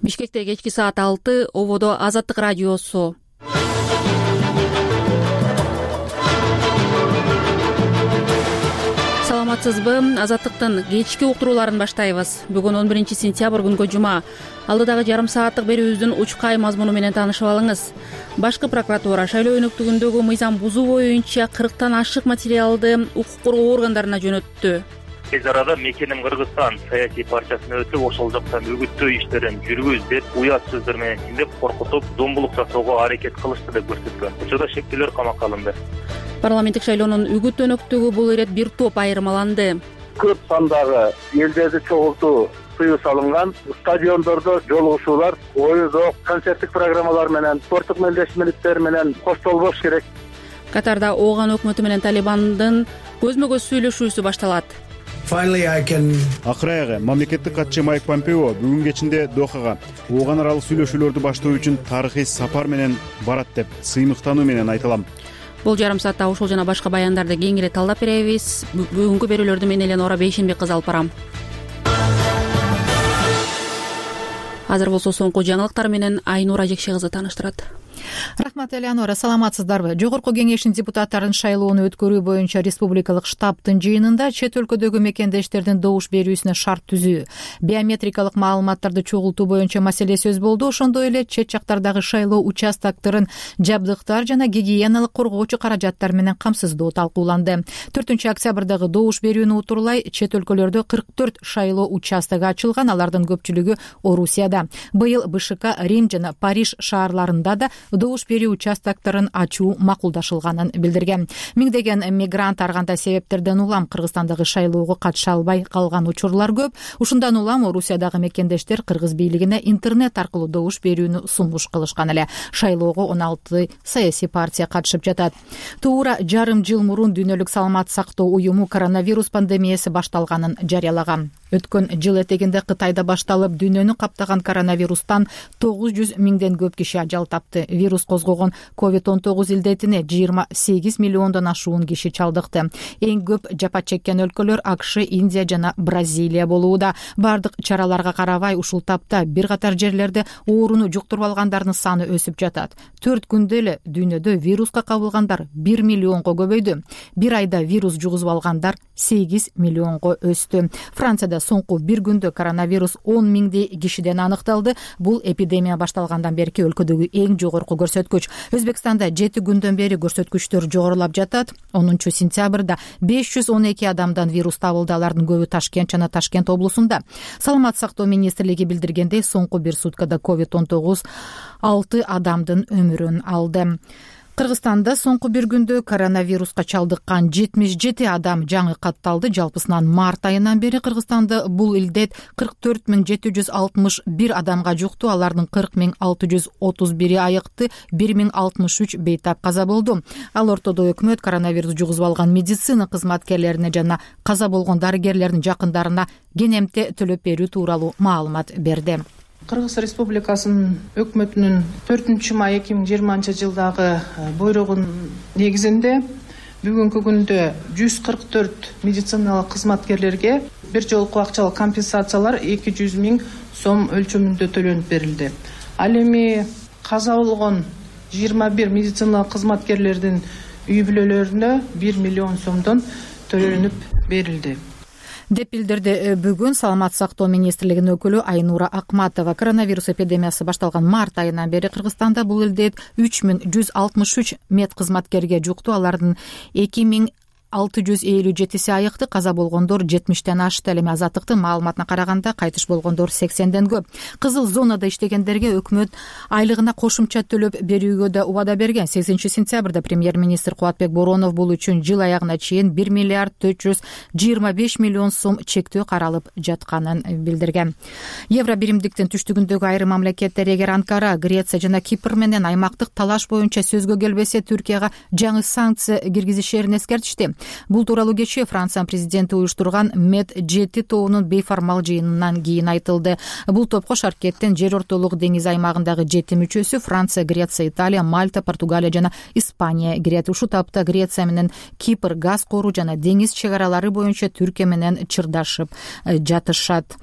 Бишкекте кечки саат 6, ободо Азаттык радиосу. Саламатсызбы? Азаттыктын кечки уктурууларын баштайбыз. Бүгүн 11 сентябрь күнгө жума. Алдыдагы жарым сааттык берүүбүздүн учкай мазмуну менен таанышып алыңыз. Башкы прокуратура шайлоо өнөктүгүндөгү мыйзам бузуу боюнча 40тан ашык материалды укук коргоо органдарына жөнөттү. Тез арада Мекеним Кыргызстан саясий партиясына өтүп, ошол жактан үгүттөө иштерин жүргүз деп, уят сөздөр менен чиндеп, коркутуп, зомбулук жасоого аракет кылышты деп көрсөткөн. Учурда шектүүлөр камакка алынды. Парламенттик шайлоонун үгүт өнөктүгү бул ирет бир топ айырмаланды. Көп сандагы элдерди чогултуу тыюу салынган, стадиондордо жолугушуулар, оюн-зоок, концерттик программалар менен, спорттук мелдешмеликтер менен коштолбош керек. Катарда Ооган өкмөтү менен Талибандын көзмө-көз сүйлөшүүсү башталат. Акыры аягы мамлекеттик катчы Майк Помпео бүгүн кечинде Дохага Ооган аралык сүйлөшүүлөрдү баштоо үчүн тарыхый сапар менен барат деп сыймыктануу менен айтылам. Бул жарым саатта ушул жана башка баяндарды кеңири талдап беребиз. Бүгүнкү берүүлөрдү мен Элена Бейшенбек кызы алып барам. Азыр болсо соңку жаңылыктар менен Айнура Жекше кызы тааныштырат. Рахмат, Элеонора, саламатсыздарбы? Жогорку кеңештин депутаттарын шайлоону өткөрүү боюнча республикалык штабтын жыйынында чет өлкөдөгү мекендештердин добуш берүүсүнө шарт түзүү, биометрикалык маалыматтарды чогултуу боюнча маселе сөз болду. Ошондой эле чет жактардагы шайлоо участокторун жабдыктар жана гигиеналык коргоочу каражаттар менен камсыздоо талкууланды. 4 октябрдагы добуш берүүнү утурлай чет өлкөлөрдө 44 шайлоо участогу ачылган, алардын көпчүлүгү Орусияда. Быйыл БШК Рим жана Париж шаарларында да добуш берүү участокторун ачуу макулдашылганын билдирген. Миңдеген мигрант ар кандай себептерден улам Кыргызстандагы шайлоого катыша албай калган учурлар көп. Ушундан улам Орусиядагы мекендештер кыргыз бийлигине интернет аркылуу добуш берүүнү сунуш кылышкан эле. Шайлоого 16 саясий партия катышып жатат. Туура жарым жыл мурун Дүйнөлүк саламат сактоо уюму коронавирус пандемиясы башталганын жарыялаган. Өткөн жыл этегинде Кытайда башталып, дүйнөнү каптаган коронавирустан 900 миңден көп киши ажал тапты. Вирус козгогон COVID-19 илдетине 28 миллиондон ашуун киши чалдыкты. Эң көп жапа чеккен өлкөлөр АКШ, Индия жана Бразилия болууда. Бардык чараларга карабай, ушул тапта бир катар жерлерде ооруну жуктуруп алгандардын саны өсүп жатат. 4 күндө эле дүйнөдө вируска кабылгандар 1 миллионго көбөйдү. Бир айда вирус жугузуп алгандар 8 миллионго өстү. Францияда соңку бир күндө коронавирус 10 миңдей кишиден аныкталды. Бул эпидемия башталгандан берки өлкөдөгү эң жогорку көрсөткүч. Өзбекстанда 7 күндөн бери көрсөткүчтөр жогорулап жатат. 10 сентябрда 512 адамдан вирус табылды. Алардын көбү Ташкент жана Ташкент облусунда. Саламат сактоо министрлиги билдиргендей, соңку бир суткада COVID-19 6 адамдын өмүрүн алды. Кыргызстанда соңку бир күндө коронавируска чалдыккан 77 адам жаңы катталды. Жалпысынан март айынан бери Кыргызстанда бул илдет 44 761 адамга жукту. Алардын 40 631 айыкты, 1063 бейтап каза болду. Ал ортодо өкмөт коронавирус жугузуп алган медицина кызматкерлерине жана каза болгон дарыгерлердин жакындарына кенемте төлөп берүү тууралуу маалымат берди. Кыргыз Республикасынын өкмөтүнүн 4-май 2020 жылдагы буйругунун негизинде бүгүнкү күндө 144 медициналык кызматкерлерге бир жолку акчалык компенсациялар 200 миң сом өлчөмүндө төлөнүп берилди. Ал эми каза болгон 21 медициналык кызматкерлердин үй бүлөлөрүнө 1 миллион сомдон төлөнүп берилди деп билдирди бүгүн Саламат сактоо министрлигинин өкүлү Айнура Акматова. Коронавирус эпидемиясы башталган март айынан бери Кыргызстанда бул илдет 3163 мед кызматкерге жукту. Алардын 2657 айыкты, каза болгондор 70тен ашты. Эми Азаттыктын маалыматына караганда кайтыш болгондор 80ден көп. Кызыл зонада иштегендерге өкмөт айлыгына кошумча төлөп берүүгө да убада берген. 8 сентябрда премьер-министр Кубатбек Боронов бул үчүн жыл аягына чейин 1 миллиард 425 миллион сом чектөө каралып жатканын билдирген. Евро биримдиктин түштүгүндөгү айрым мамлекеттер, эгер Анкара, Греция жана Кипр менен аймактык талаш боюнча сөзгө келбесе, Түркияга жаңы санкция киргизишерин эскертишти. Бул тууралуу кечээ Франциянын президенти уюштурган Med-7 тобунун бейформал жыйынынан кийин айтылды. Бул топко Шаркеттен жер ортолук деңиз аймагындагы 7 мүчөсү Франция, Греция, Италия, Мальта, Португалия жана Испания кирет. Ушул тапта Греция менен Кипр газ кору жана деңиз чек аралары боюнча Түркия менен чырдашып жатышат.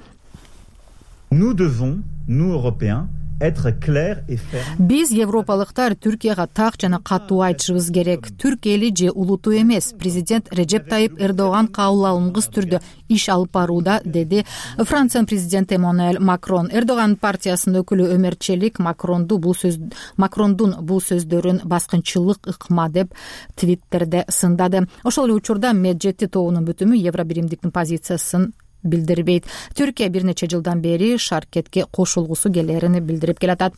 Nous devons, nous Européens, être clair et ferme. Биз европалыктар Түркияга так жана катуу айтышыбыз керек. Түрк эли же улуту эмес. Президент Режеп Тайип Эрдоган кабыл алынгыс түрдө иш алып барууда, деди Франциянын президенти Эммануэль Макрон. Эрдоган партиясынын өкүлү Өмер Челик Макрондун бул сөздөрүн баскынчылык ыкма деп Твиттерде сындады. Ошол эле учурда Меджети тобунун бүтүмү Евробиримдиктин позициясын билдирбейт. Түркия бир нече жылдан бери шаркетке кошулгусу келерин билдирип келатат.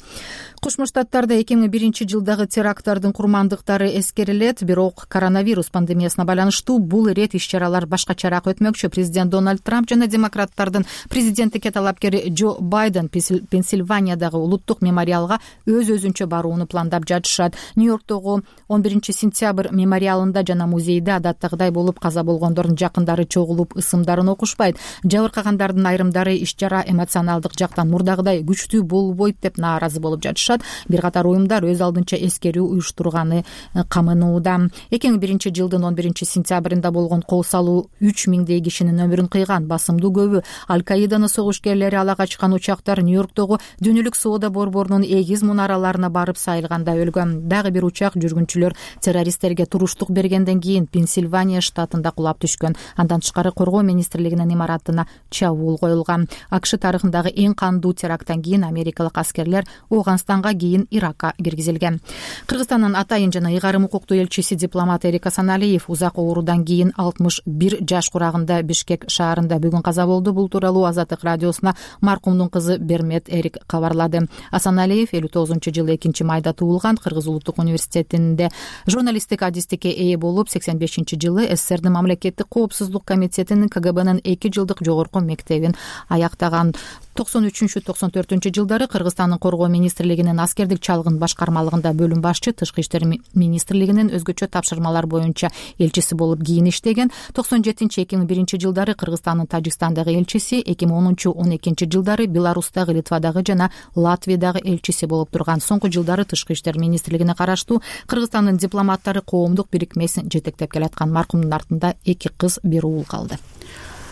Кошмо Штаттарда 2001-жылдагы теракттардын курмандыктары эскерилет, бирок коронавирус пандемиясына байланыштуу бул ирет иш-чаралар башкачараак өтмөкчү. Президент Дональд Трамп жана демократтардын президенттикке талапкери Джо Байден Пенсильваниядагы улуттук мемориалга өз-өзүнчө барууну пландап жатышат. Нью-Йорктогу 11-сентябрь мемориалында жана музейде адаттагыдай болуп каза болгондордун жакындары чогулуп ысымдарын окушпайт. Жабыркагандардын айрымдары иш-чара эмоционалдык жактан мурдагыдай күчтүү болбойт деп нааразы болуп жатышат. Бир катар уюмдар өз алдынча эскерүү уюштурганы камынууда. 2001-жылдын 11-сентябрында болгон кол салуу 3000 кишинин өмүрүн кыйган. Басымдуу көбү Аль-Каиданын согуш-кээрлери ала качкан учактар Нью-Йорктогу Дүйнөлүк соода борборунун эгиз мунараларына барып сайылганда өлгөн. Дагы бир учак жүргүнчүлөр террористтерге туруштук бергенден кийин Пенсильвания штатында кулап түшкөн. Андан тышкары коргоо министрлигинин имаратына чабуул коюлган. АКШ тарыхындагы эң кандуу теракттан кийин америкалык аскерлер Афганистанга кийин Иракка киргизилген. Кыргызстандын атайын жана ыйгарым укуктуу элчиси дипломат Эрик Асаналиев узак оорудан кийин 61 жаш курагында Бишкек шаарында бүгүн каза болду. Бул тууралуу Азаттык радиосуна маркумдун кызы Бермет Эрик кабарлады. Асаналиев 59-жылы 2-майда туулган. Кыргыз улуттук университетинде журналисттик адистикке ээ болуп, 85-жылы СССРдин мамлекеттик коопсуздук комитетинин КГБнын 2 жылдык жогорку мектебин аяктаган. 93-94-жылдары Кыргызстандын коргоо министрлигинин аскердик чалгын башкармалыгында бөлүм башчы, тышкы иштер министрлигинин өзгөчө тапшырмалар боюнча элчиси болуп кийин иштеген. 97-2001-жылдары Кыргызстандын Тажикстандагы элчиси, 2010-12-жылдары Беларустагы, Литвадагы жана Латвиядагы элчиси болуп турган. Соңку жылдары тышкы иштер министрлигине караштуу Кыргызстандын дипломаттары коомдук бирикмесин жетектеп келаткан. Маркумдун артында 2 кыз, 1 уул калды.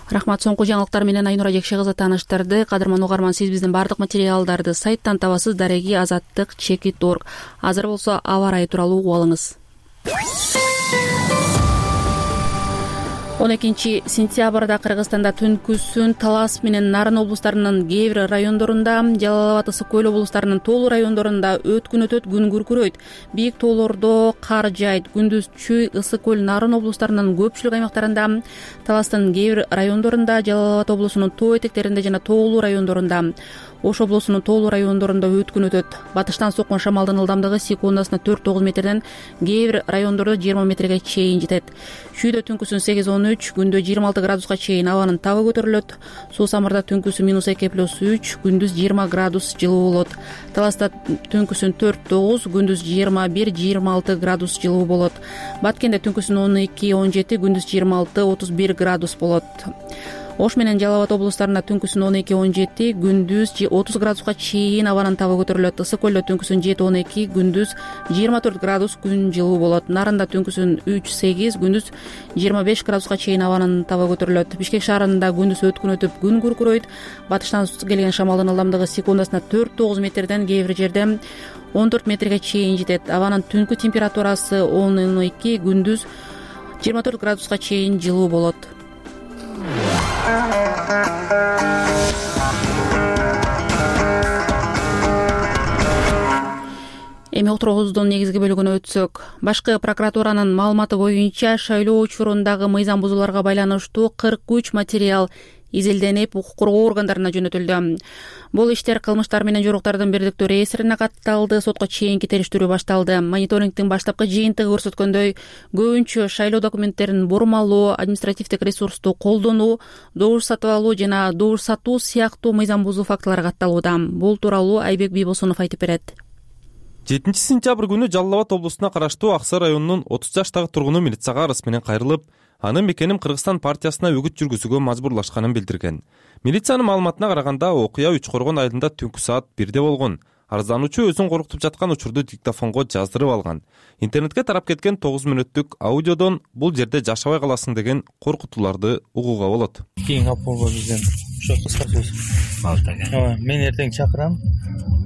Рахмат. Соңку жаңылыктар менен Айнура Жекше кызы тааныштырды. Кадырман угарман, сиз биздин бардык материалдарды сайттан табасыз. Дареги azаттык.org. Азыр болсо аба ырайы тууралуу угуп алыңыз. 12-сентябрда Кыргызстанда түнкүсүн Талас менен Нарын облустарынын кээ бир райондорунда, Жалал Абад, Ысык Көл облустарынын тоолуу райондорунда өткүн өтөт, күн күркүрөйт. Бийик тоолордо кар жайт. Күндүз Чүй, Ысык Көл, Нарын облустарынын көпчүлүк аймактарында, Таластын кээ бир райондорунда, Жалал Абад облусунун тоо этектеринде жана тоолуу райондорунда, Ош облусунун тоолуу райондорунда өткүн өтөт. Батыштан соккон шамалдын ылдамдыгы секундасына 4-9 метрден, кээ бир райондордо 20 метрге чейин жетет. Чүйдө түнкүсүн 8-13, күндө 26 градуска чейин абанын табы көтөрүлөт. Суу-Самырда түнкүсү -2+3, күндүз 20 градус жылуу болот. Таласта түнкүсүн 4-9, күндүз 21-26 градус жылуу болот. Баткенде түнкүсүн 12-17, күндүз 26-31 градус болот. Ош менен Жалал Абад облустарында түнкүсүн 12-17, күндүз 30 градуска чейин абанын табы көтөрүлөт. Ысык Көлдө түнкүсүн 7-12, күндүз 24 градус күн жылуу болот. Нарында түнкүсүн 3-8, күндүз 25 градуска чейин абанын табы көтөрүлөт. Бишкек шаарында күндүз өткүн өтүп, күн күркүрөйт. Батыштан келген шамалдын ылдамдыгы секундасына 4-9 метрден, кээ бир жерде 14 метрге чейин жетет. Абанын түнкү температурасы 10-12, күндүз 24 градуска чейин жылуу болот. Эми отургубуздун негизги бөлүгүнө өтсөк, башкы прокуратуранын маалыматы боюнча шайлоо учурундагы мыйзам бузууларга байланыштуу 43 материал изилденип, укук коргоо органдарына жөнөтүлдү. Бул иштер кылмыштар менен жоруктардын бирдиктүү реестрине катталды. Сотко чейинки териштирүү башталды. Мониторингдин баштапкы жыйынтыгы көрсөткөндөй, көбүнчө шайлоо документтерин бурмалоо, административдик ресурсту колдонуу, добуш сатып алуу жана добуш сатуу сыяктуу мыйзам бузуу фактылары катталууда. Бул тууралуу Айбек Бийбосунов айтып берет. 7-сентябрь күнү Жалал Абад облусуна караштуу Аксай районунун 30 жаштагы тургуну милицияга арыз менен кайрылып, анын мекеним Кыргызстан партиясына үгүт жүргүзүүгө мажбурлашканын билдирген. Милициянын маалыматына караганда, окуя 3-коргон айылында түнкү саат 1-де болгон. Арыздануучу өзүн коркутуп жаткан учурду диктофонго жаздырып алган. Интернетке тарап кеткен 9 мүнөттүк аудиодон бул жерде жашабай каласың деген коркутууларды угууга болот. Кийин апалга бизден ошо кыска сөз. Ооба, мен эртең чакырам.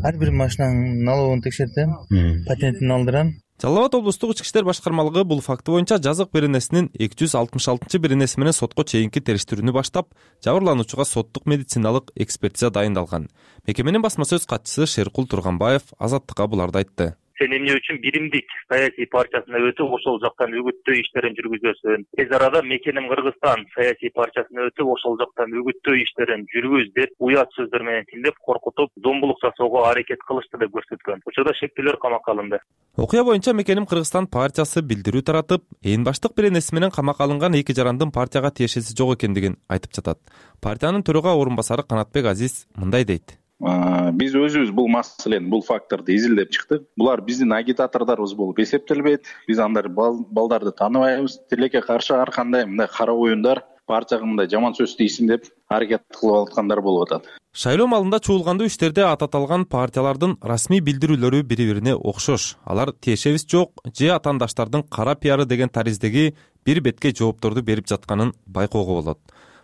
Ар бир машинанын налогун текшертем, патентин алдырам. Жалал Абад облустук ички иштер башкармалыгы бул факты боюнча жазык беренесинин 266-беренеси менен сотко чейинки териштирүүнү баштап, жабырлануучуга соттук медициналык экспертиза дайындалган. Мекеменин басма сөз катчысы Шеркул Турганбаев Азаттыкка буларды айтты. Сен эмне үчүн биримдик саясий партиясына өтүп, ошол жактан үгүттөө иштерин жүргүзөсүң? Тез арада Мекеним Кыргызстан саясий партиясына өтүп, ошол жактан үгүттөө иштерин жүргүз деп, уят сөздөр менен тилдеп коркутуп, зомбулук жасоого аракет кылышты деп көрсөткөн. Учурда шектүүлөр камакка алынды. Окуя боюнча Мекеним Кыргызстан партиясы билдирүү таратып, ээн баштык беренеси менен камакка алынган эки жарандын партияга тиешеси жок экендигин айтып жатат. Партиянын төрага орун басары Канатбек Азиз мындай дейт. Биз өзүбүз бул маселени, бул факторду изилдеп чыктык. Булар биздин агитатордорубуз болуп эсептелбейт. Биз андай балдарды тааныбайбыз. Тилекке каршы ар кандай мындай кара оюндар, партияга мындай жаман сөз тийсин деп аракет кылып аткандар болуп атат. Шайлоо малында чуулгандуу иштерде ататалган партиялардын расмий билдирүүлөрү бири-бирине окшош. Алар тиешебиз жок же атаандаштардын кара пиары деген тариздеги бир бетке жоопторду берип жатканын байкоого болот.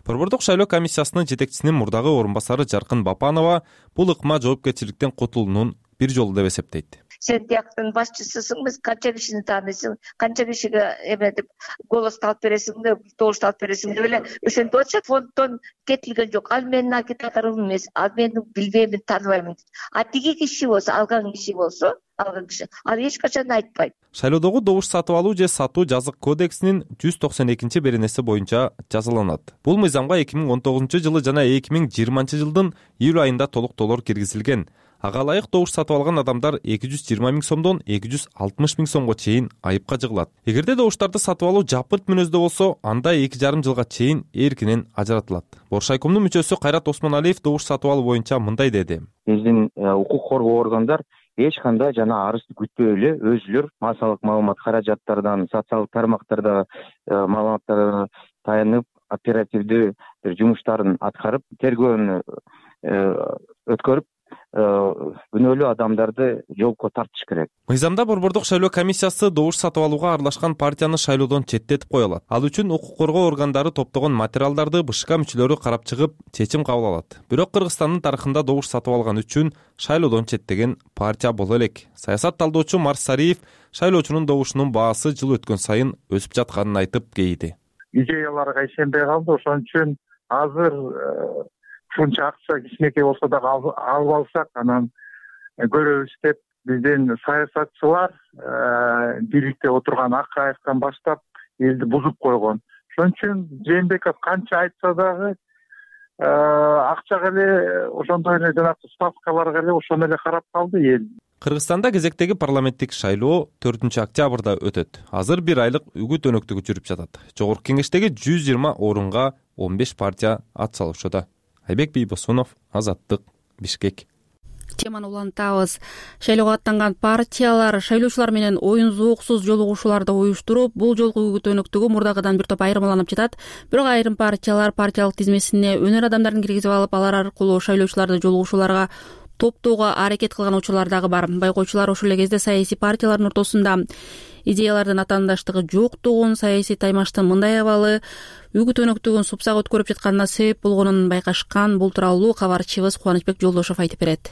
Борбордук шайлоо комиссиясынын жетекчисинин мурдагы орун басары Жаркын Бапанова бул ыкма жоопкерчиликтен кутулуунун бир жолу деп эсептейт. Сен тияктын башчысысың, биз канча кишини тааныйсың, канча кишиге эметип голос алып бересиң деп, добуш алып бересиң деп эле ошентип атышат. Фонддон кетилген жок. Ал менин агитаторум эмес, ал мени билбеймин, тааныбайм. А тиги киши болсо, алган киши ал эч качан айтпайт. Шайлоодогу добуш сатып алуу же сатуу жазык кодексинин 192-беренеси боюнча жазаланат. Бул мыйзамга 2019-жылы жана 2020-жылдын июль айында толуктоолор киргизилген. Ага ылайык добуш сатып алган адамдар 220 000 сомдон 260 000 сомго чейин айыпка жыгылат. Эгерде добуштарды сатып алуу жапырт мүнөздө болсо, анда 2,5 жылга чейин эркинен ажыратылат. Боршайкомдун мүчөсү Кайрат Осмоналиев добуш сатып алуу боюнча мындай деди. Биздин укук коргоо органдар эч кандай жана арызды күтпөй эле өзүлөр массалык маалымат каражаттардан, социалдык тармактарда маалыматтарга таянып, оперативдүү жумуштарын аткарып, тергөөнү өткөрүп, күнөөлүү адамдарды жоопко тартыш керек. Мыйзамда борбордук шайлоо комиссиясы добуш сатып алууга аралашкан партияны шайлоодон четтетип кое алат. Ал үчүн укук коргоо органдары топтогон материалдарды БШК мүчөлөрү карап чыгып, чечим кабыл алат. Бирок Кыргызстандын тарыхында добуш сатып алган үчүн шайлоодон четтеген партия боло элек. Саясат талдоочу Марс Сариев шайлоочунун добушунун баасы жыл өткөн сайын өсүп жатканын айтып кейди. Идеяларга ишенбей калды, ошон үчүн азыр ушунча акча кичинекей болсо дагы алып алсак, анан көрөбүз деп биздин саясатчылар бийликте отурган Акаевден баштап элди бузуп койгон. Ошон үчүн Жээнбеков канча айтса дагы акчага эле, ошондой эле жанагы ставкаларга эле ошону эле карап калды эл. Кыргызстанда кезектеги парламенттик шайлоо 4-октябрда өтөт. Азыр 1 айлык үгүт өнөктүгү жүрүп жатат. Жогорку кеңештеги 120 орунга 15 партия ат салышууда. Айбек Бийбосунов, Азаттык, Бишкек. Теманы улантабыз. Шайлоого аттанган партиялар шайлоочулар менен оюн зооксуз жолугушууларды уюштуруп, бул жолку үгүт өнөктүгү мурдагыдан бир топ айырмаланып жатат. Бирок айрым партиялар партиялык тизмесине өнөр адамдарын киргизип алып, алар аркылуу шайлоочуларды жолугушууларга топтоого аракет кылган учурлар дагы бар. Байкоочулар ошол эле кезде саясий партиялардын ортосунда идеялардын атаандаштыгы жоктугун, саясий таймаштын мындай абалы үгүт өнөктүгүн супсак өткөрүп жатканына себеп болгонун байкашкан. Бул тууралуу кабарчыбыз Кубанычбек Жолдошов айтып берет.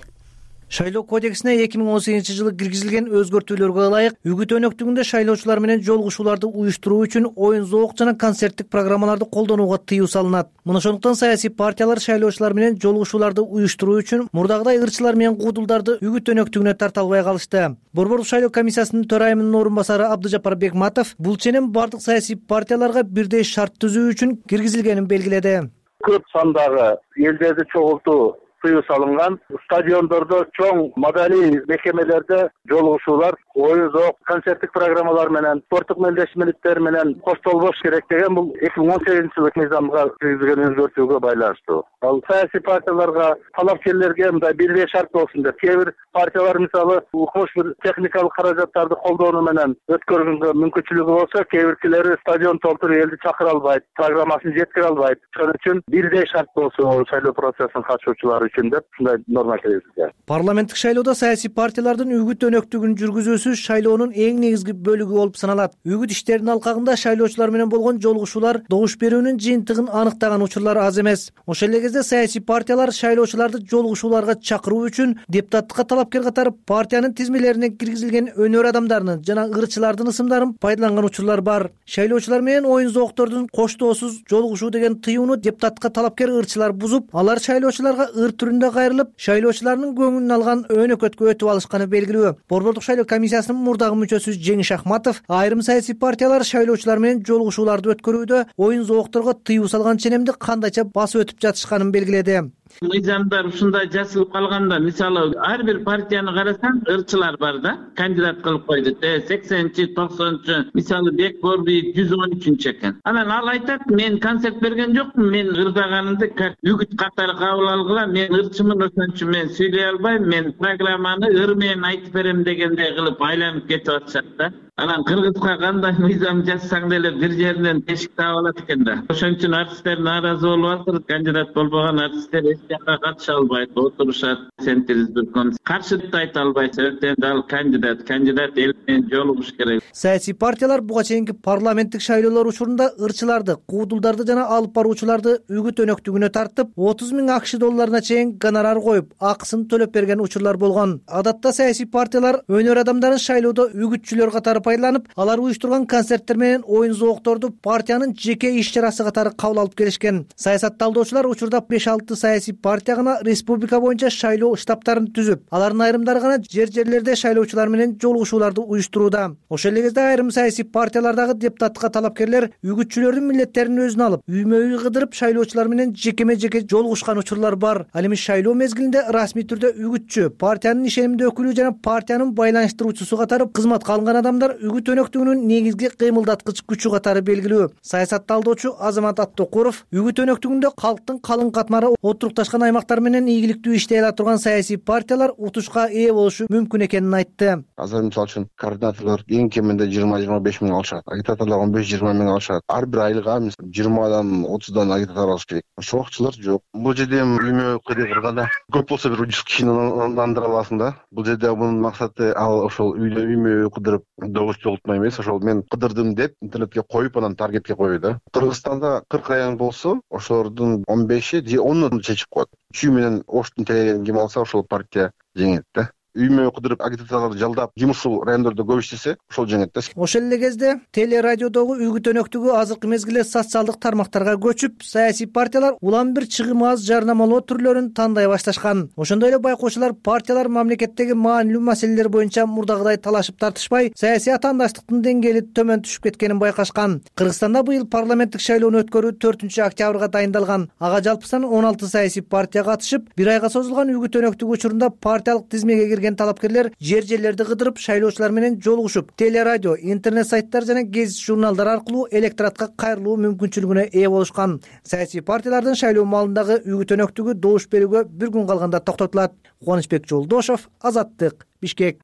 Шайлоо кодексине 2018-жылы киргизилген өзгөртүүлөргө ылайык үгүт өнөктүгүндө шайлоочулар менен жолугушууларды уюштуруу үчүн оюн зоок жана концерттик программаларды колдонууга тыюу салынат. Мына ошондуктан саясий партиялар шайлоочулар менен жолугушууларды уюштуруу үчүн мурдагыдай ырчылар менен куудулдарды үгүт өнөктүгүнө тарта албай калышты. Борбордук шайлоо комиссиясынын төрайымынын орун басары Абдыжапар Бекматов бул ченем бардык саясий партияларга бирдей шарт түзүү үчүн киргизилгенин белгиледи. Көп сандагы элдерди чогултуу тыюу салынган, стадиондордо, чоң маданий мекемелерде жолугушуулар, оюн зоок, концерттик программалар менен, спорттук мелдешмеликтер менен коштолбош керек деген бул 2018-жылы мыйзамга киргизилген өзгөртүүгө байланыштуу. Ал саясий партияларга, талапкерлерге мындай бирдей шарт болсун деп, кээ бир партиялар мисалы укмуш бир техникалык каражаттарды колдонуу менен өткөргөнгө мүмкүнчүлүгү болсо, кээ биркилери стадион толтуруп элди чакыра албайт, программасын жеткире албайт. Ошон үчүн бирдей шарт болсо шайлоо процессине катышуучулар үчүн деп ушундай норма киргизилген. Парламенттик шайлоодо саясий партиялардын үгүт өнөктүгүн жүргүзүүсү шайлоонун эң негизги бөлүгү болуп саналат. Үгүт иштеринин алкагында шайлоочулар менен болгон жолугушуулар добуш берүүнүн жыйынтыгын аныктаган учурлар аз эмес. Ошол эле кезде саясий партиялар шайлоочуларды жолугушууларга чакыруу үчүн депутаттыкка талапкер катары партиянын тизмелерине киргизилген өнөр адамдарынын жана ырчылардын ысымдарын пайдаланган учурлар бар. Шайлоочулар менен оюн зооктордун коштоосуз жолугушуу деген тыюуну депутаттыкка талапкер ырчылар бузуп, алар шайлоочуларга ыр түрүндө кайрылып, шайлоочулардын көңүлүн алган өнөкөткө өтүп алышканы белгилүү. Борбордук шайлоо комиссиясынын мурдагы мүчөсү Жеңиш Ахматов айрым саясий партиялар шайлоочулар менен жолугушууларды өткөрүүдө оюн зоокторго тыюу салган ченемди кандайча басып өтүп жатышканын белгиледи. Мыйзамдар ушундай жазылып калганда, мисалы ар бир партияны карасаң, ырчылар бар да, кандидат кылып койду. 80-90, мисалы Бек Борбиев 113 экен. Анан ал айтат, мен концерт берген жокмун, мен ырдаганымды үгүт катары кабыл алгыла, мен ырчымын, ошон үчүн мен сүйлөй албайм, мен программаны ыр менен айтып берем дегендей кылып айланып кетип атышат да. Анан кыргызга кандай мыйзам жазсаң деле бир жеринен тешик таап алат экен да. Ошон үчүн артисттер нааразы болуп атыр. Кандидат болбогон артисттер эч жакка катыша албайт, отурушат, сентириздирком. Каршылык айта албайт, эртең ал кандидат эл менен жолугуш керек. Саясий партиялар буга чейинки парламенттик шайлоолор учурунда ырчыларды, куудулдарды жана алып баруучуларды үгүт өнөктүгүнө тартып, 30 000 АКШ долларына чейин гонорар коюп, акысын төлөп берген учурлар болгон. Адатта саясий партиялар өнөр адамдарын шайлоодо үгүтчүлөр катары пайдаланып, алар уюштурган концерттер менен оюн зоокторду партиянын жеке иш-чарасы катары кабыл алып келишкен. Саясат талдоочулар учурда 5-6 саясий партия гана республика боюнча шайлоо штабтарын түзүп, алардын айрымдары гана жер-жерлерде шайлоочулар менен жолугушууларды уюштурууда. Ошол эле кезде айрым саясий партиялардагы депутаттыкка талапкерлер үгүтчүлөрдүн милдеттерин өзүнө алып, үймө-үй кыдырып шайлоочулар менен жекеме-жеке жолугушкан учурлар бар. Ал эми шайлоо мезгилинде расмий түрдө үгүтчү, партиянын ишенимдүү өкүлү жана партиянын байланыштыруучусу катары кызматка алынган адамдар үгүт өнөктүгүнүн негизги кыймылдаткыч күчү катары белгилүү. Саясат талдоочу Азамат Аттокуров үгүт өнөктүгүндө калктын калың катмары отурукташкан аймактар менен ийгиликтүү иштей ала турган саясий партиялар утушка ээ болушу мүмкүн экенин айтты. Азыр мисалы үчүн координаторлор эң кеминде 20-25 миң алышат, агитаторлор 15-20 миң алышат. Ар бир айга 20дан 30дан агитатор алыш керек. Чоокчулар жок. Бул жерде үймө кырганда көп болсо бир 100 кишини нандыра аласың да. Бул жерде мунун максаты ал ошол үймө кыдырып добуш жолтмай эмес, ошол мен кыдырдым деп интернетке коюп, анан таргетке коюу да. Кыргызстанда 40 район болсо, ошолордун 15 же 10-ун чечип коет. Чүй менен оштун телегин ким алса, ошол партия жеңет да. Үймө кыдырып агитаторлорду жалдап, ким ушул райондордо көп иштесе, ошол жеңет да. Ошол эле кезде телерадиодогу үгүт өнөктүгү азыркы мезгилде социалдык тармактарга көчүп, саясий партиялар улам бир чыгымы аз жарнамалоо түрлөрүн тандай башташкан. Ошондой эле байкоочулар партиялар мамлекеттеги маанилүү маселелер боюнча мурдагыдай талашып тартышпай, саясий атаандаштыктын деңгээли төмөн түшүп кеткенин байкашкан. Кыргызстанда быйыл парламенттик шайлоону өткөрүү 4-октябрга дайындалган. Ага жалпысынан 16 саясий партия катышып, бир айга созулган үгүт өнөктүгү учурунда партиялык тизмеге талапкерлер жер-жерлерди кыдырып, шайлоочулар менен жолугушуп, телерадио, интернет сайттар жана гезит журналдар аркылуу электоратка кайрылуу мүмкүнчүлүгүнө ээ болушкан. Саясий партиялардын шайлоо маалындагы үгүт өнөктүгү добуш берүүгө бир күн калганда токтотулат. Кубанычбек Жолдошов, Азаттык, Бишкек.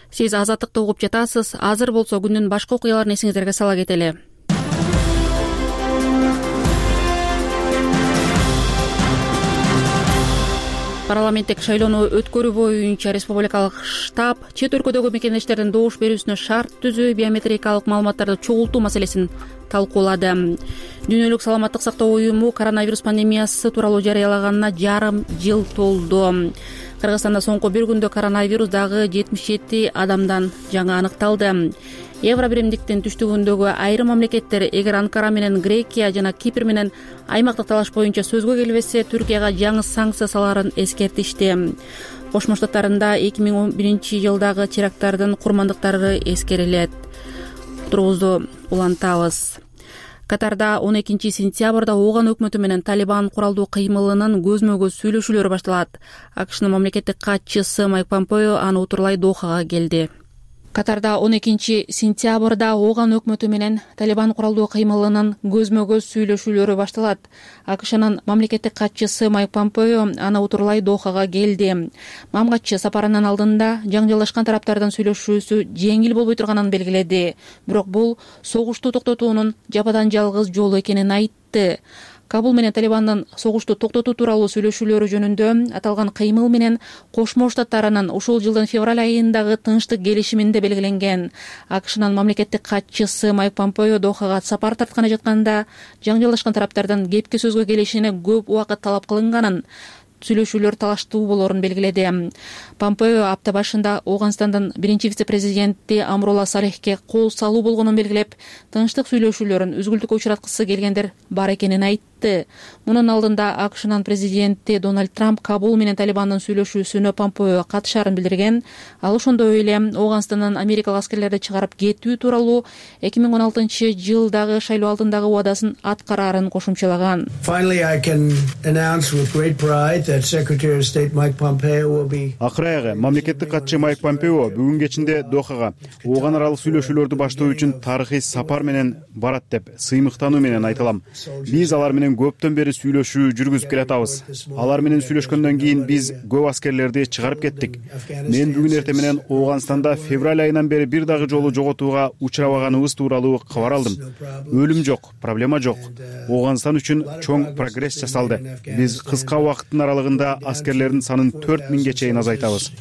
Сиз Азаттыкты угуп жатасыз. Азыр болсо күндүн башка окуяларын эсиңиздерге сала кетели. Парламенттик шайлоону өткөрүү боюнча республикалык штаб чет өлкөдөгү мекендештердин добуш берүүсүнө шарт түзүү, биометрикалык маалыматтарды чогултуу маселесин талкуулады. Дүйнөлүк саламаттык сактоо уюму коронавирус пандемиясы тууралуу жарыялаганына жарым жыл толду. Кыргызстанда соңку бир күндө коронавирус дагы 77 адамдан жаңы аныкталды. Евро биримдиктин түштүгүндөгү айрым мамлекеттер, эгер Анкара менен Грекия жана Кипр менен аймактык талаш боюнча сөзгө келбесе, Түркияга жаңы санкция салаарын эскертишти. Кошмо Штаттарында 2011 жылдагы теракттардын курмандыктары эскерилет. Турубузду улантабыз. Катарда 12 сентябрда Ооган өкмөтү менен Талибан куралдуу кыймылынын көзмө-көз сүйлөшүүлөрү башталат. АКШнын мамлекеттик катчысы Майк Помпео аны утурлай Дохага келди. Катарда 12 сентябрда Ооган өкмөтү менен Талибан куралдуу кыймылынын көзмө-көз сүйлөшүүлөрү башталат. АКШнын мамлекеттик катчысы Майк Помпео аны утурлай Дохага келди. Мамгатчы сапарынын алдында жаңжалдашкан тараптардын сүйлөшүүсү жеңил болбой турганын белгиледи. Бирок бул согушту токтотуунун жападан жалгыз жолу экенин айтты. Кабул менен Талибандын согушту токтотуу тууралуу сүйлөшүүлөрү жөнүндө аталган кыймыл менен Кошмо Штаттарынын ушул жылдын февраль айындагы тынчтык келишиминде белгиленген. АКШнын мамлекеттик катчысы Майк Помпео Дохага сапар тартканы жатканда жаңжалдашкан тараптардан кепке сөзгө келишине көп убакыт талап кылынганын, сүйлөшүүлөр талаштуу болоорун белгиледи. Помпео апта башында Ооганстандын биринчи вице-президенти Амрула Салехке кол салуу болгонун белгилеп, тынчтык сүйлөшүүлөрүн үзгүлтүккө учраткысы келгендер бар экенин айтты. Мунун алдында АКШнын президенти Дональд Трамп Кабул менен Талибандын сүйлөшүүсүнө Помпео катышаарын билдирген. Ал ошондой эле Ооганстандан америкалык аскерлерди чыгарып кетүү тууралуу 2016-жылдагы шайлоо алдындагы убадасын аткараарын кошумчалаган. Акыры аягы мамлекеттик катчы Майк Помпео бүгүн кечинде Дохага ооган аралык сүйлөшүүлөрдү баштоо үчүн тарыхый сапар менен барат деп сыймыктануу менен айтылам. Биз алар менен көптөн бери сүйлөшүү жүргүзүп келатабыз. Алар менен сүйлөшкөндөн кийин биз көп аскерлерди чыгарып кеттик. Мен бүгүн эртең менен Ооганстанда февраль айынан бери бир дагы жолу жоготууга учурабаганыбыз тууралуу кабар алдым. Өлүм жок, проблема жок. Ооганстан үчүн чоң прогресс жасалды. Биз кыска убакыттын аралыгында аскерлердин санын 4000ге чейин азайтабыз.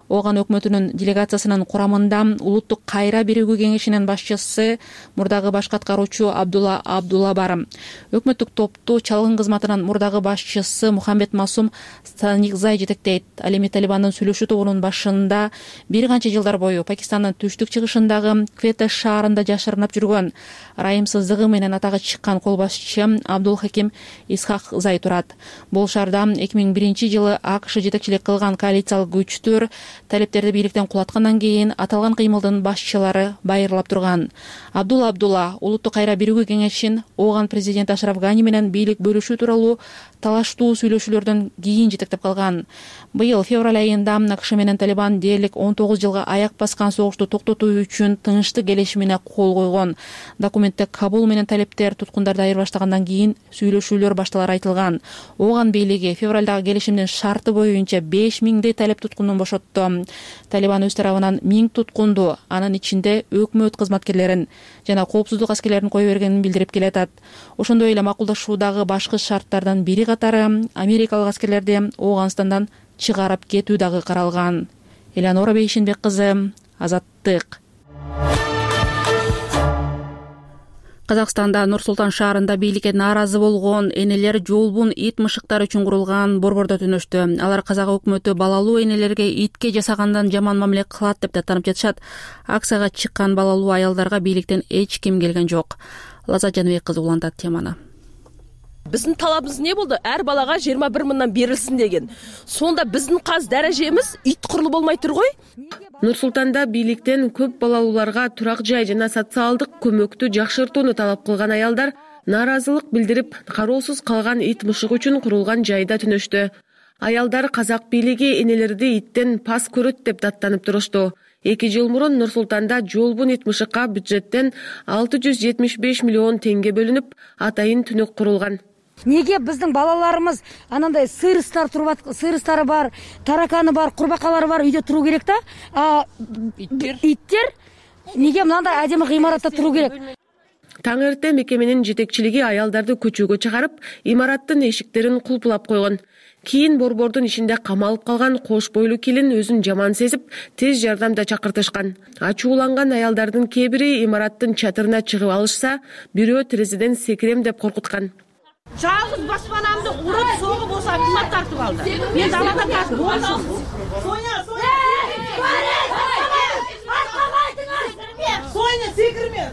Ооган өкмөтүнүн делегациясынын курамында улуттук кайра биригүү кеңешинин башчысы мурдагы баш аткаруучу Абдулла бар. Өкмөттүк топту чалгын кызматынын мурдагы башчысы Мухаммед Масум Станикзай жетектейт. Ал эми Талибандын сүйлөшүү тобунун башында бир канча жылдар бою Пакистандын түштүк чыгышындагы Квета шаарында жашырынып жүргөн, ырайымсыздыгы менен атагы чыккан кол башчы Абдул Хаким Исхак Зай турат. Бул шаарда 2001-жылы АКШ жетекчилик кылган коалициялык күчтөр талептерди бийликтен кулаткандан кийин аталган кыймылдын башчылары байырлап турган. Абдулла улуттук кайра биригүү кеңешин Ооган президенти Ашраф Гани менен бийлик бөлүшүү тууралуу талаштуу сүйлөшүүлөрдөн кийин жетектеп калган. Быйыл февраль айында АКШ менен Талибан дээрлик 19 жылга аяк баскан согушту токтотуу үчүн тынчтык келишимине кол койгон. Документте Кабул менен талептер туткундарды айырбаштагандан кийин сүйлөшүүлөр башталары айтылган. Ооган бийлиги февралдагы келишимдин шарты боюнча 5000 талеп туткундун бошотту. Талибан өз тарабынан 1000 туткунду, анын ичинде өкмөт кызматкерлерин жана коопсуздук аскерлерин кое бергенин билдирип келатат. Ошондой эле макулдашуудагы башкы шарттардан бири катары америкалык аскерлерди Ооганстандан чыгарып кетүү дагы каралган. Элеонора Бейшенбек кызы, Азаттык. Казакстанда Нур-Султан шаарында бийликке нааразы болгон энелер жолбун ит мышыктары үчүн курулган борбордо түнөштү. Алар казак өкмөтү балалуу энелерге итке жасагандан жаман мамиле кылат деп даттанып жатышат. Акцияга чыккан балалуу аялдарга бийликтен эч ким келген жок. Лаззат Жаныбек кызы улантат теманы. Биздин талабыбыз эмне болду? Ар балага 21 мыңдан берилсин деген. Сонда биздин каз даражемиз ит курулу болмой тургой? Нур-Султанда бийликтен көп балалууларга турак жай жана социалдык көмөктү жакшыртууну талап кылган аялдар нааразылык билдирип, кароосуз калган ит мышык үчүн курулган жайда түнөштү. Аялдар казак бийлиги энелерди иттен пас көрөт деп даттанып турушту. 2 жыл мурун Нур-Султанда жолбун ит мышыкка бюджеттен 675 миллион теңге бөлүнүп, атайын түнөк курулган. Неге биздин балаларыбыз анандай сыйрыстары бар, тараканы бар, курбакалары бар үйдө туруу керек да? Иттер неге мындай адемий гыймаратта туруу керек? Таң эрте мекеменин жетекчилиги аялдарды көчөгө чыгарып, имараттын эшиктерин кулпулап койгон. Кийин борбордун ичинде камалып калган кош бойлуу келин өзүн жаман сезип, тез жардамда чакыртышкан. Ачууланган аялдардын кээ бири имараттын чатырына чыгып алышса, бирөө терезеден секирем деп коркуткан. Жалгыз баспанамды уруп, согуп болсо кымат тартып алды. Мен далада тартып болсом. Соня, секирме.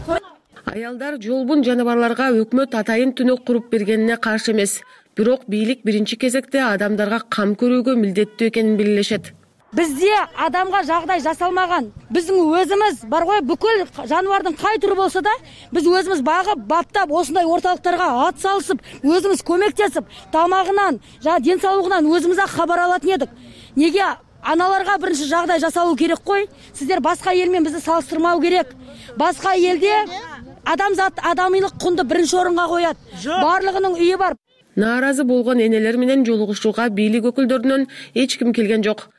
Аялдар жолбун жаныбарларга өкмөт атайын түнөк куруп бергенине каршы эмес. Бирок бийлик биринчи кезекте адамдарга кам көрүүгө милдеттүү экенин белгилешет. Бизде адамга жагдай жасалмаган. Биздин өзүбүз бар гой, бүкүл жаныбардын кай түрү болсо да, биз өзүбүз багып, баптап, осундай орталыктарга ат салышып, өзүбүз көмөктөсүп, тамагынан, жана ден соолугунан өзүбүз кабар алат едик. Неге аналарга биринчи жагдай жасалуу керек кой? Сиздер башка эл менен бизди салыштырмау керек. Башка элде адамзат адамыйлык кунду биринчи орунга коят. Барлыгынын үйү бар. Нааразы болгон энелер менен жолугушууга бийлик өкүлдөрүнөн эч ким келген жок.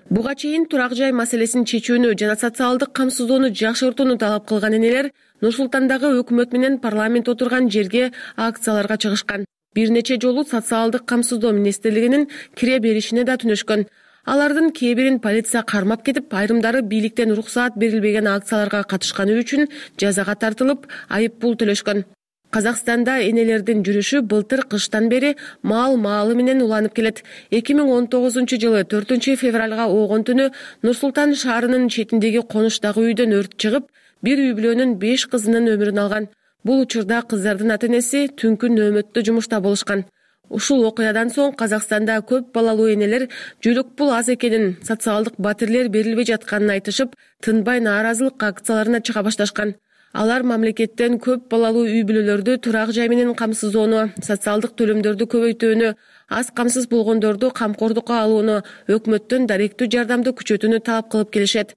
Буга чейин турак жай маселесин чечүүнү жана социалдык камсыздоону жакшыртууну талап кылган энелер Нур-Султандагы өкмөт менен парламент отурган жерге акцияларга чыгышкан. Бир нече жолу социалдык камсыздоо министрлигинин кире беришине да түнөшкөн. Алардын кээ бирин полиция кармап кетип, айрымдары бийликтен уруксаат берилбеген акцияларга катышканы үчүн жазага тартылып, айып пул төлөшкөн. Казакстанда энелердин жүрүшү былтыр кыштан бери маалы менен уланып келет. 2019-жылы 4 февралга оогон түнү Нур-Султан шаарынын четиндеги конуштагы үйдөн өрт чыгып, бир үй бүлөнүн 5 кызынын өмүрүн алган. Бул учурда кыздардын ата-энеси түнкү нөөмөттө жумушта болушкан. Ушул окуядан соң Казакстанда көп балалуу энелер жөлөк пул аз экенин, социалдык батирлер берилбей жатканын айтышып, тынбай нааразылык акцияларына чыга башташкан. Алар мамлекеттен көп балалуу үй бүлөлөрдү турак жай менен камсыздоону, социалдык төлөмдөрдү көбөйтүүнү, аз камсыз болгондорду камкордукка алууну, өкмөттөн даректүү жардамды күчөтүүнү талап кылып келишет.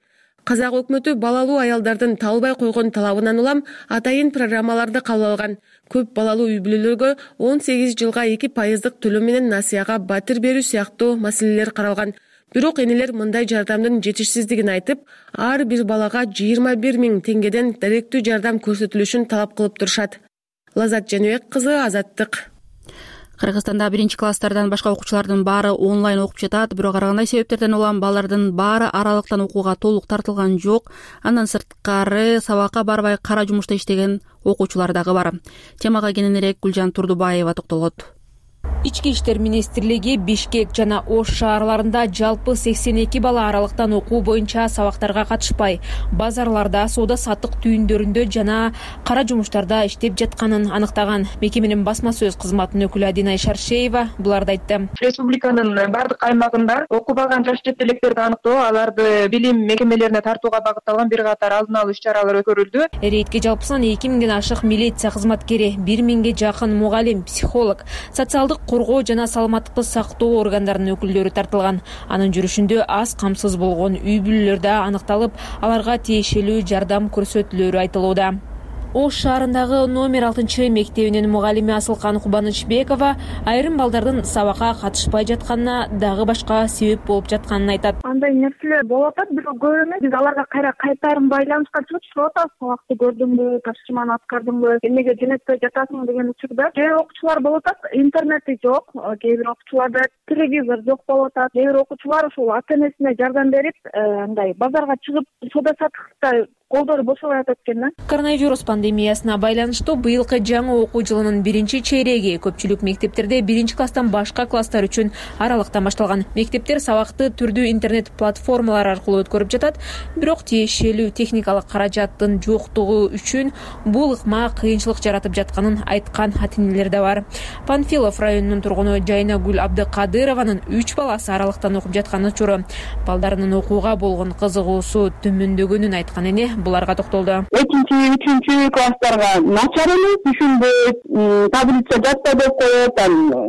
Казак өкмөтү балалуу аялдардын талбай койгон талабынан улам атайын программаларды кабыл алган. Көп балалуу үй бүлөлөргө 18 жылга 2% төлөм менен насыяга батир берүү сыяктуу маселелер каралган. Бирок энелер мындай жардамдын жетишсиздигин айтып, ар бир балага 21 000 теңгеден даректүү жардам көрсөтүлүшүн талап кылып турушат. Лазат Жаныбек кызы, Азаттык. Кыргызстанда 1-класстардан башка окуучулардын баары онлайн окуп жатат, бирок ар кандай себептерден улам балдардын баары аралыктан окууга толук тартылган жок. Андан сырткары сабакка барбай кара жумушта иштеген окуучулар дагы бар. Темага кененирээк Гүлжан Турдубаева токтолот. Ички иштер министрлиги Бишкек жана Ош шаарларында жалпы 82 бала аралыктан окуу боюнча сабактарга катышпай, базарларда, соода саттык түйүндөрүндө жана кара жумуштарда иштеп жатканын аныктаган. Мекеменин басма сөз кызматынын өкүлү Адина Шаршеева буларды айтты. Республиканын бардык аймагында окубаган жаш чет электерди аныктоо, аларды билим мекемелерине тартууга багытталган бир катар алдын алуу иш-чаралар өткөрүлдү. Рейдке жалпысынан 2000ден ашык милиция кызматкери, 1000ге жакын мугалим, психолог, социалдык коргоо жана саламаттыкты сактоо органдарынын өкүлдөрү тартылган. Анын жүрүшүндө аз камсыз болгон үй бүлөлөр да аныкталып, аларга тиешелүү жардам көрсөтүлөрү айтылууда. Ош шаарындагы номер 6 мектебинин мугалими Асылкан Кубанычбекова айрым балдардын сабакка катышпай жатканына дагы башка себеп болуп жатканын айтат. Андай нерселер болуп атат, бирок көп эмес. Биз аларга кайтарым байланышка чыгып атабыз. Сабакты көрдүңбү, тапшырманы аткардыңбы, эмнеге жөнөтпөй жатасың деген учурда. Кээ бир окуучулар болуп атат, интернети жок, кээ бир окуучуларда телевизор жок болуп атат. Кээ бир окуучулар ушул ата-энесине жардам берип, андай базарга чыгып соода саттыкта колдору бошобой атат экен да. Коронавирус пандемиясына байланыштуу быйылкы жаңы окуу жылынын 1-чейреги көпчүлүк мектептерде 1-класстан башка класстар үчүн аралыктан башталган. Мектептер сабакты түрдүү интернет платформалар аркылуу өткөрүп жатат, бирок тиешелүү техникалык каражаттын жоктугу үчүн бул ыкма кыйынчылык жаратып жатканын айткан ата-энелер да бар. Панфилов районунун тургуну Жайнагүл Абдыкадырованын 3 баласы аралыктан окуп жаткан учуру, балдарынын окууга болгон кызыгуусу төмөндөгөнүн айткан эне буларга токтолду. 2-3 класстарга начар эмес, түшүнбөйт, таблица жатпа деп коет,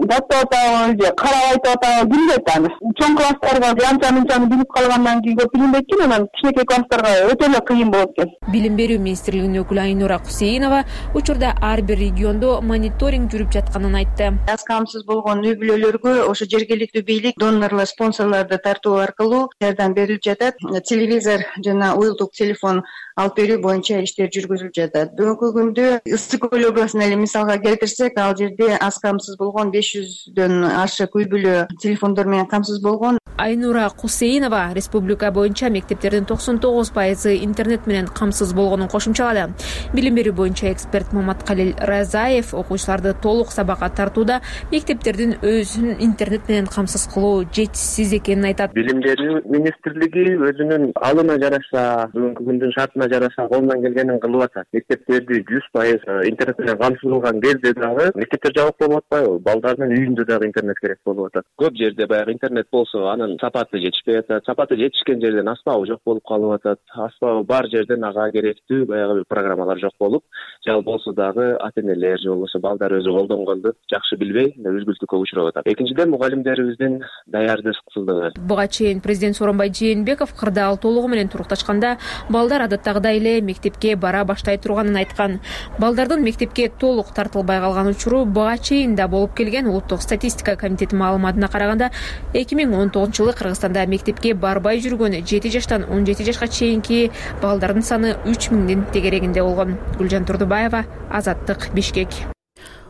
жатып атабы же карабайт атабы билбейт аны. Чоң класстарга анча-мынчаны билип калгандан кийин көп билинбейт экен, анан кичинекей класстарга өтө эле кыйын болот экен. Билим берүү министрлигинин өкүлү Айнура Кусейинова учурда ар бир региондо мониторинг жүрүп жатканын айтты. Аз камсыз болгон үй бүлөлөргө ошо жергиликтүү бийлик донорлор, спонсорлорду тартуу аркылуу жардам берилип жатат. Телевизор жана уюлдук телефон алып берүү боюнча иштер жүргүзүлүп жатат. Бүгүнкү күндө Ысык көл областына эле мисалга келтирсек, ал жерде аз камсыз болгон 500дөн ашык үй бүлө телефондор менен камсыз болгон. Айнура Кусейинова республика боюнча мектептердин 99% интернет менен камсыз болгонун кошумчалады. Билим берүү боюнча эксперт Маматкалил Разаев окуучуларды толук сабакка тартууда мектептердин өзүн интернет менен камсыз кылуу жетишсиз экенин айтат. Билим берүү министрлиги өзүнүн алына жараша, бүгүнкү күндүн шартына жараша колунан келгенин кылып атат. Мектептерди 100% интернет менен камсыздалган кезде дагы мектептер жабык болуп атпайбы? Балдардын үйүндө дагы интернет керек болуп атат. Көп жерде баягы интернет болсо, анын сапаты жетишпей атат. Сапаты жетишкен жерден аспабы жок болуп калып атат. Аспабы бар жерден ага керектүү баягы программалар жок болуп, жал болсо дагы ата-энелер же болбосо балдар өзү колдонгонду жакшы билбей, үзгүлтүккө учурап атат. Экинчиден, мугалимдерибиздин даярдыксыздыгы. Буга чейин президент Сооронбай Жээнбеков кырдаал толугу менен турукташканда балдар адаттагыдай эле мектепке бара баштай турганын айткан. Балдардын мектепке толук тартылбай калган учуру буга чейин да болуп келген. Улуттук статистика комитети маалыматына караганда 2019 жылы Кыргызстанда мектепке барбай жүргөн 7 жаштан 17 жашка чейинки балдардын саны 3000дин тегерегинде болгон. Гүлжан Турдубаева, Азаттык, Бишкек.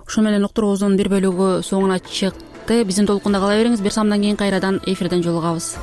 Ушу менен уктуруубуздун бир бөлүгү соңуна чыкты. Биздин толкунда кала бериңиз. Бир самдан кийин кайрадан эфирден жолугабыз.